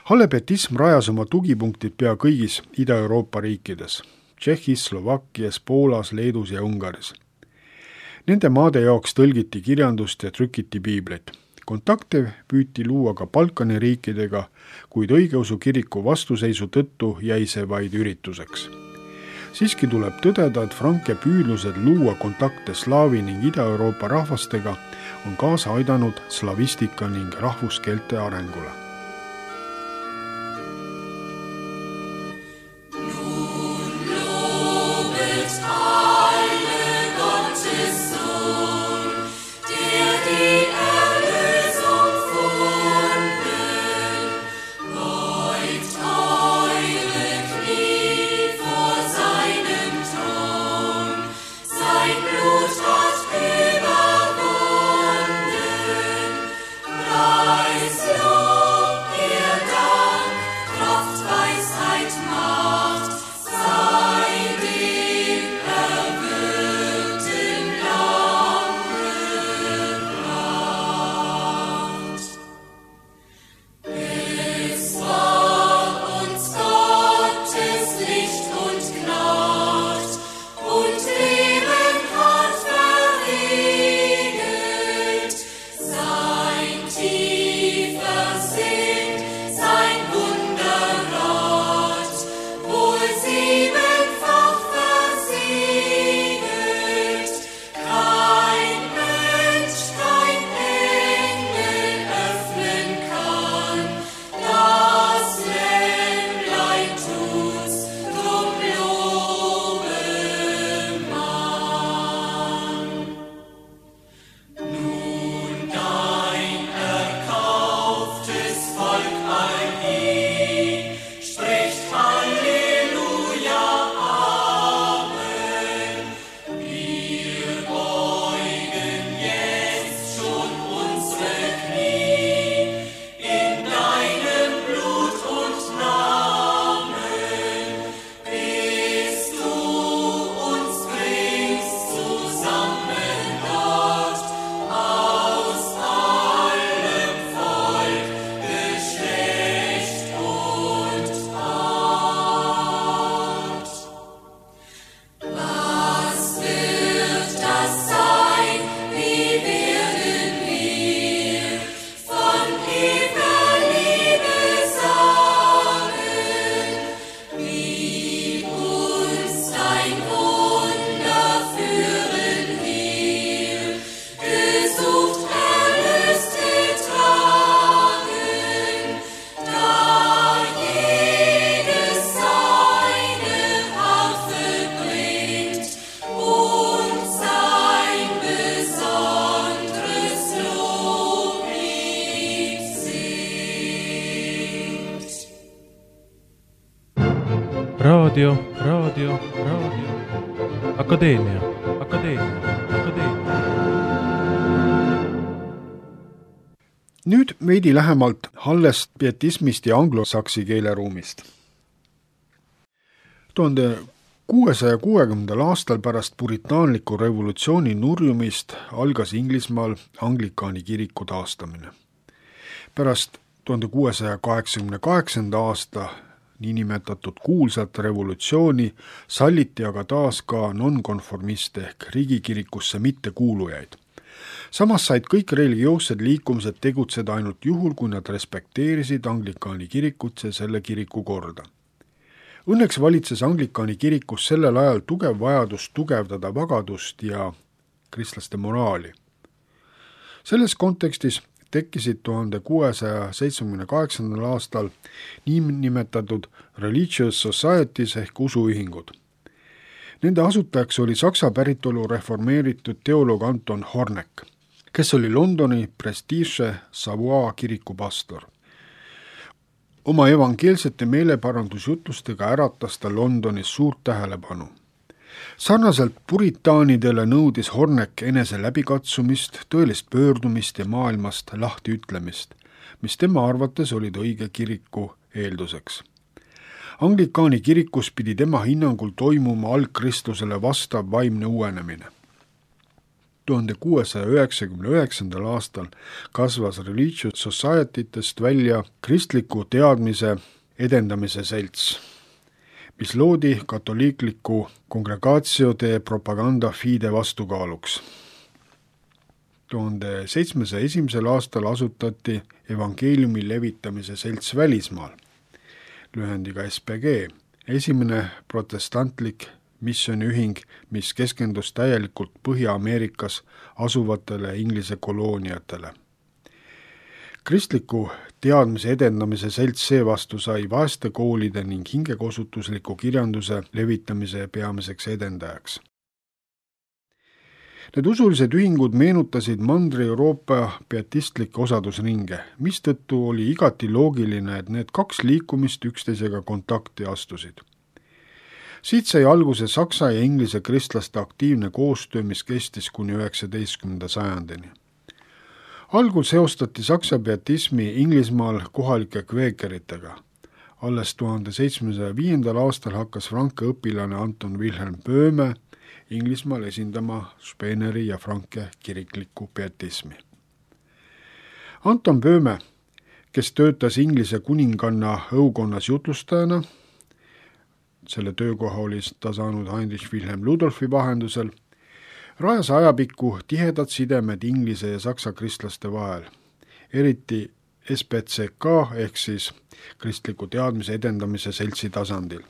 Halle pietism rajas oma tugipunktid pea kõigis Ida-Euroopa riikides, Tšehhis, Slovakkias, Poolas, Leedus ja Ungaris. Nende maade jaoks tõlgiti kirjandust ja trükiti piiblit. Kontakte püüti luua ka Balkani riikidega, kuid õigeusu kiriku vastuseisu tõttu jäi see vaid ürituseks. Siiski tuleb tõdeda, et Franke püüdlused luua kontakte Slaavi ning Ida-Euroopa rahvastega on kaasa aidanud slavistika ning rahvuskeelte arengule. Raadio. Akadeemia. Nüüd veidi lähemalt Hallest, pietismist ja anglosaksi keeleruumist. 1660. aastal pärast puritaanliku revolutsiooni nurjumist algas Inglismaal Anglikaani kiriku taastamine. Pärast 1688. aasta niinimetatud kuulsat revolutsiooni salliti aga taas ka nonkonformiste ehk riigikirikusse mittekuulujaid. Samas said kõik religioossed liikumised tegutseda ainult juhul, kui nad respekteerisid Anglikaani kirikut ja selle kiriku korda. Õnneks valitses Anglikaani kirikus sellel ajal tugev vajadus tugevdada vagadust ja kristlaste moraali. Selles kontekstis tekkisid 1678. aastal niinimetatud Religious Societies ehk usuühingud. Nende asutajaks oli saksa päritolu reformeeritud teoloog Anton Hornek, kes oli Londoni Prestige Savoie kiriku pastor. Oma evangeelsete meeleparandusjutlustega äratas ta Londonis suurt tähelepanu. Sarnaselt puritaanidele nõudis Hornek enese läbikatsumist, tõelist pöördumist ja maailmast lahtiütlemist, mis tema arvates olid õige kiriku eelduseks. Anglikaani kirikus pidi tema hinnangul toimuma algkristlusele vastav vaimne uuenemine. 1699. aastal kasvas Religious Societytest välja kristliku teadmise edendamise selts, mis loodi katoliikliku Congregatio de Propaganda Fide vastukaaluks. 1701. aastal asutati evangeeliumi levitamise selts välismaal, lühendiga SPG, esimene protestantlik missiooniühing, mis keskendus täielikult Põhja-Ameerikas asuvatele Inglise kolooniatele. Kristliku teadmise edendamise selts seevastu sai vaeste koolide ning hingekosutusliku kirjanduse levitamise peamiseks edendajaks. Need usulised ühingud meenutasid Mandri-Euroopa pietistlikke osadusringe, mistõttu oli igati loogiline, et need kaks liikumist üksteisega kontakti astusid. Siit sai alguse saksa ja inglise kristlaste aktiivne koostöö, mis kestis kuni 19. sajandini. Algul seostati saksa pietismi Inglismaal kohalike kveekeritega. Alles 1705. aastal hakkas Franke õpilane Anton Wilhelm Böhme Inglismaal esindama Speeneri ja Franke kiriklikku pietismi. Anton Böhme, kes töötas Inglise kuninganna õukonnas jutlustajana, selle töökoha oli ta saanud Heinrich Wilhelm Ludolfi vahendusel, rajas ajapikku tihedad sidemed Inglise ja saksa kristlaste vahel, eriti SPCK ehk siis kristliku teadmise edendamise seltsi tasandil.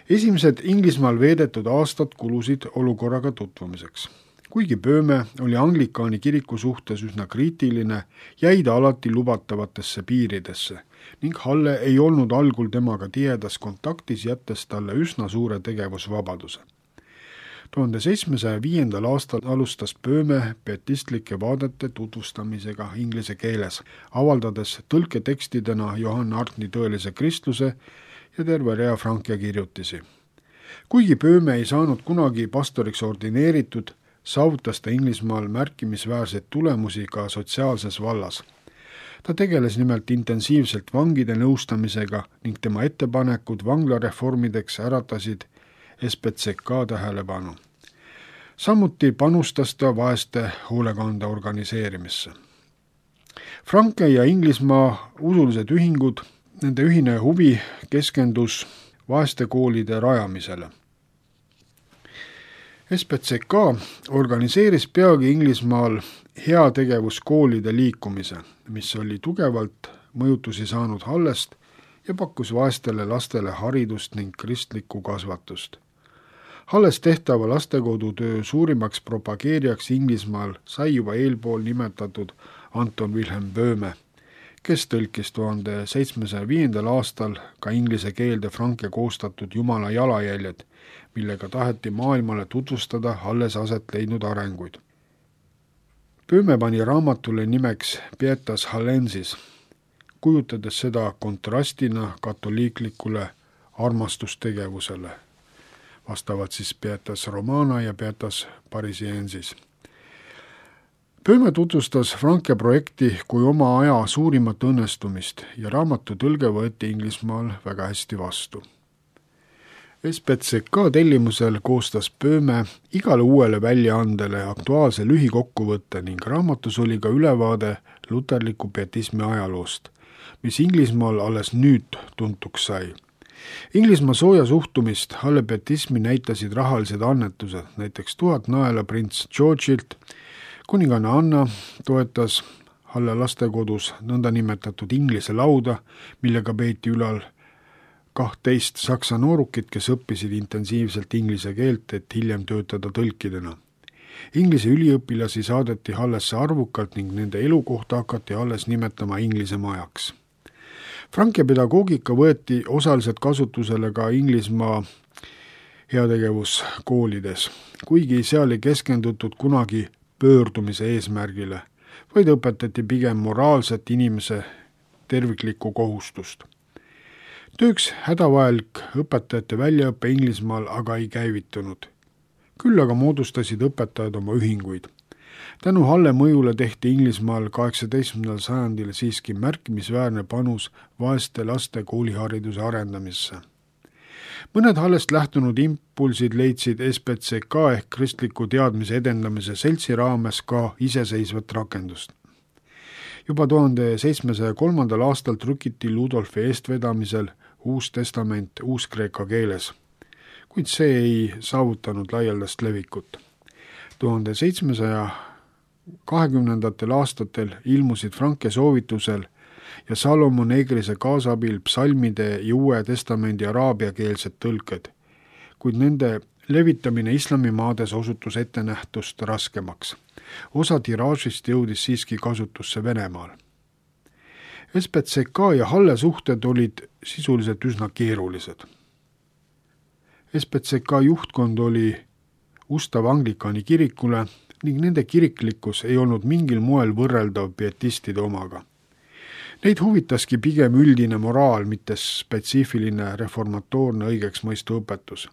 Esimesed Inglismaal veedetud aastad kulusid olukorraga tutvumiseks. Kuigi Böhme oli anglikaani kiriku suhtes üsna kriitiline, jäi ta alati lubatavatesse piiridesse ning Halle ei olnud algul temaga tihedas kontaktis, jättes talle üsna suure tegevusvabaduse. 1705. aastal alustas Böhme pietistlike vaadete tutvustamisega inglise keeles, avaldades tõlketekstidena Johann Arntni Tõelise kristluse ja terve rea Franke kirjutisi. Kuigi Böhme ei saanud kunagi pastoriks ordineeritud, saavutas ta Inglismaal märkimisväärseid tulemusi ka sotsiaalses vallas. Ta tegeles nimelt intensiivselt vangide nõustamisega ning tema ettepanekud vanglareformideks äratasid SPCK tähelepanu. Samuti panustas ta vaeste hoolekande organiseerimisse. Franke ja Inglismaa usulised ühingud, nende ühine huvi keskendus vaestekoolide rajamisele. SPCK organiseeris peagi Inglismaal heategevuskoolide liikumise, mis oli tugevalt mõjutusi saanud Hallest ja pakkus vaestele lastele haridust ning kristlikku kasvatust. Halles tehtava lastekodutöö suurimaks propageerijaks Inglismaal sai juba eelpool nimetatud Anton Wilhelm Böhme, kes tõlkis 1705. aastal ka inglise keelde Franke koostatud Jumala jalajäljed, millega taheti maailmale tutvustada Halles aset leidnud arenguid. Böhme pani raamatule nimeks Pietas Hallensis, kujutades seda kontrastina katoliiklikule armastustegevusele, vastavalt siis Pietas Romana ja Pietas Parisiensis. Böhme tutvustas Franke projekti kui oma aja suurimat õnnestumist ja raamatu tõlge võeti Inglismaal väga hästi vastu. SPCK tellimusel koostas Böhme igale uuele väljaandele aktuaalse lühikokkuvõtte ning raamatus oli ka ülevaade luterliku pietismi ajaloost, mis Inglismaal alles nüüd tuntuks sai. Inglismaa sooja suhtumist Halle pietismi näitasid rahalised annetused, näiteks 1000 naela prints Georgilt. Kuninganna Anna toetas Halle lastekodus nõndanimetatud Inglise lauda, millega peeti ülal 12 saksa noorukit, kes õppisid intensiivselt inglise keelt, et hiljem töötada tõlkidena. Inglise üliõpilasi saadeti Hallesse arvukalt ning nende elukohta hakati alles nimetama Inglise majaks. Franke pedagoogika võeti osaliselt kasutusele ka Inglismaa heategevuskoolides, kuigi seal ei keskendutud kunagi pöördumise eesmärgile, vaid õpetati pigem moraalset inimese terviklikku kohustust. Tööks hädavajalik õpetajate väljaõppe Inglismaal aga ei käivitunud. Küll aga moodustasid õpetajad oma ühinguid. Tänu Halle mõjule tehti Inglismaal 18. sajandil siiski märkimisväärne panus vaeste laste koolihariduse arendamisse. Mõned Hallest lähtunud impulsid leidsid SPCK ehk kristliku teadmise edendamise seltsi raames ka iseseisvat rakendust. Juba 1703. aastal trükiti Ludolfi eestvedamisel Uus testament uuskreeka keeles, kuid see ei saavutanud laialdast levikut. 1700 2020. aastatel ilmusid Franke soovitusel ja Salomon Egrise kaasabil psalmide ja Uue Testamendi araabiakeelsed tõlked, kuid nende levitamine islamimaades osutus ettenähtust raskemaks. Osa tiraažist jõudis siiski kasutusse Venemaal. SBCK ja Halle suhted olid sisuliselt üsna keerulised. SBCK juhtkond oli ustav Anglikani kirikule ning nende kiriklikkus ei olnud mingil moel võrreldav pietistide omaga. Neid huvitaski pigem üldine moraal, mitte spetsiifiline reformatoorne õigeksmõistu õpetus.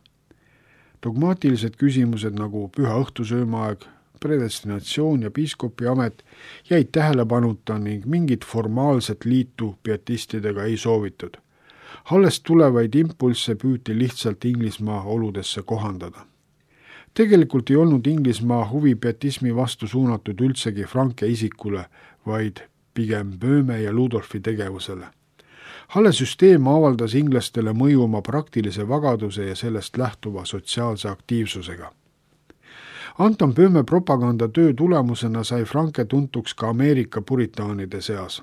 Dogmaatilised küsimused nagu püha õhtusöömaaeg, predestinatsioon ja piiskopi amet jäid tähelepanuta ning mingit formaalset liitu pietistidega ei soovitud. Hallest tulevaid impulsse püüti lihtsalt Inglismaa oludesse kohandada. Tegelikult ei olnud Inglismaa huvi pietismi vastu suunatud üldsegi Franke isikule, vaid pigem Böhme ja Ludolfi tegevusele. Halle süsteem avaldas inglastele mõju oma praktilise vagaduse ja sellest lähtuva sotsiaalse aktiivsusega. Anton Böhme propagandatöö tulemusena sai Franke tuntuks ka Ameerika puritaanide seas.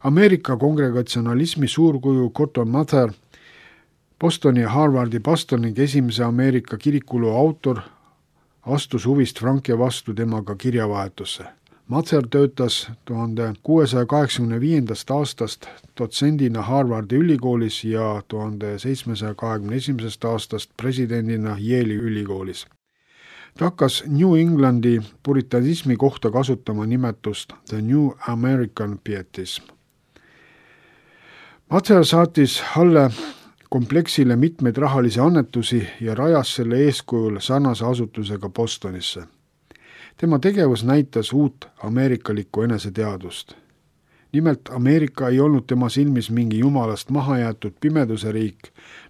Ameerika kongregatsionalismi suurkuju Cotton Mather, Bostoni ja Harvardi pastor ning esimese Ameerika kirikulu autor, astus huvist Franke vastu temaga kirjavahetusse. Mather töötas 1685. aastast dotsendina Harvardi ülikoolis ja 1721. aastast presidendina Yale'i ülikoolis. Ta hakkas New Englandi puritanismi kohta kasutama nimetust The New American Pietism. Mather saatis Halle kompleksile mitmeid rahalisi annetusi ja rajas selle eeskujul sarnase asutusega Bostonisse. Tema tegevus näitas uut ameerikalikku eneseteadvust. Nimelt Ameerika ei olnud tema silmis mingi jumalast mahajäetud pimeduse riik,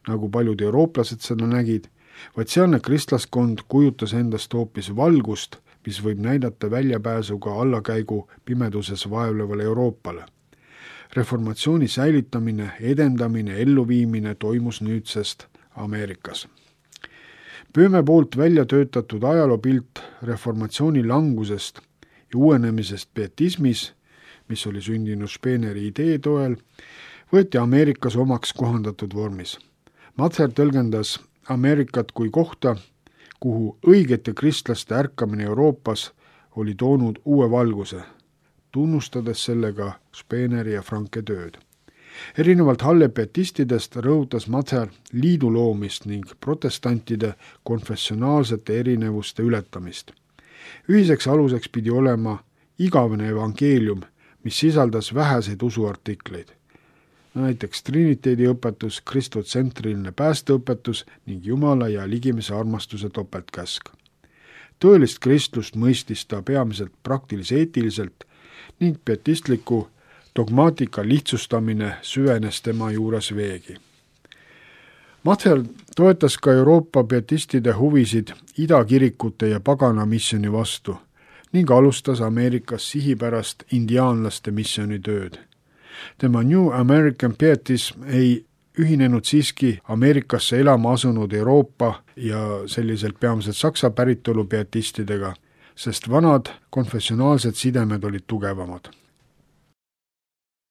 nagu paljud eurooplased seda nägid, vaid sealne kristlaskond kujutas endast hoopis valgust, mis võib näidata väljapääsuga allakäigu pimeduses vaevlevale Euroopale. Reformatsiooni säilitamine, edendamine, elluviimine toimus nüüdsest Ameerikas. Böhme poolt välja töötatud ajaloopilt reformatsiooni langusest ja uuenemisest pietismis, mis oli sündinud Spehneri idee toel, võeti Ameerikas omaks kohandatud vormis. Mather tõlgendas Ameerikat kui kohta, kuhu õigete kristlaste ärkamine Euroopas oli toonud uue valguse, tunnustades sellega Spehneri ja Franke tööd. Erinevalt Halle pietistidest rõhutas Mather liidu loomist ning protestantide konfessionaalsete erinevuste ületamist. Ühiseks aluseks pidi olema igavene evangeelium, mis sisaldas väheseid usuartikleid. Näiteks triniteedi õpetus, kristotsentriline päästeõpetus ning Jumala ja ligimese armastuse topeltkäsk. Tõelist kristlust mõistis ta peamiselt praktilis-eetiliselt ning pietistliku dogmaatika lihtsustamine süvenes tema juures veegi. Mather toetas ka Euroopa pietistide huvisid idakirikute ja pagana missiooni vastu ning alustas Ameerikas sihipärast indiaanlaste missioonitööd. Tema New American Pietism ei ühinenud siiski Ameerikasse elama asunud Euroopa ja selliselt peamiselt saksa päritolu pietistidega, sest vanad konfessionaalsed sidemed olid tugevamad.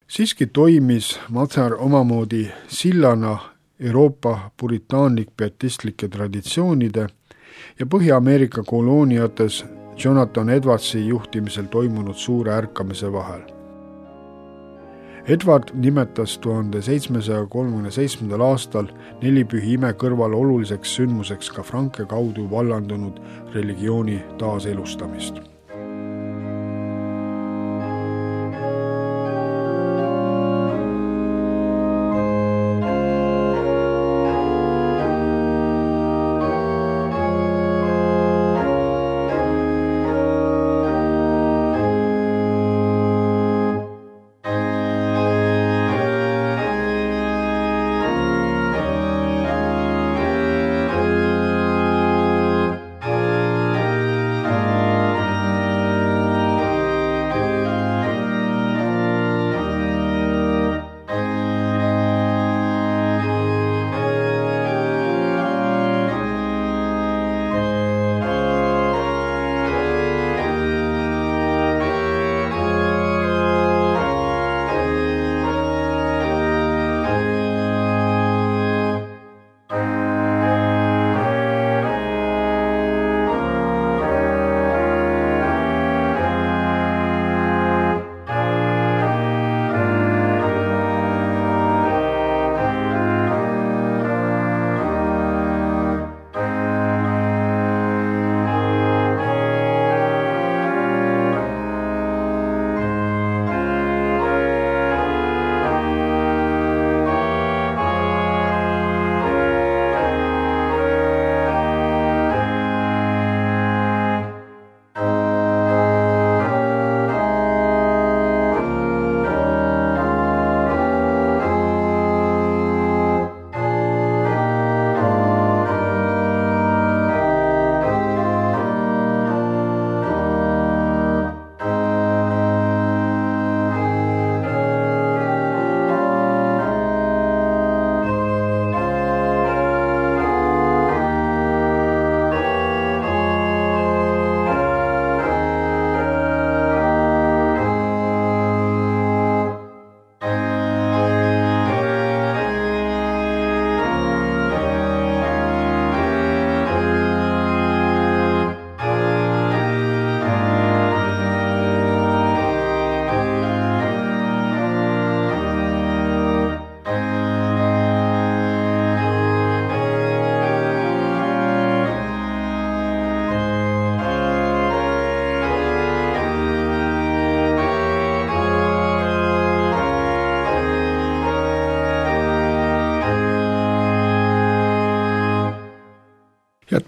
Siiski toimis Mather omamoodi sillana Euroopa puritaanlik pietistlike traditsioonide ja Põhja-Ameerika kolooniates Jonathan Edwardsi juhtimisel toimunud suure ärkamise vahel. Edward nimetas 1737. aastal nelipühi ime kõrval oluliseks sündmuseks ka Franke kaudu vallandunud religiooni taaselustamist.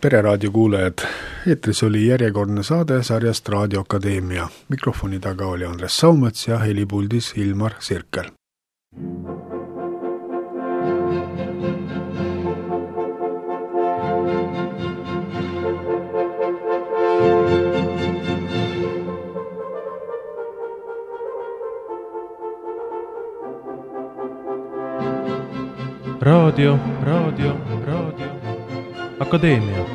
Pereraadio kuulajad, eetris oli järjekordne saade sarjast Raadio Akadeemia. Mikrofoni taga oli Andres Saumets ja helipuldis Ilmar Sirkel. Raadio Akadeemia.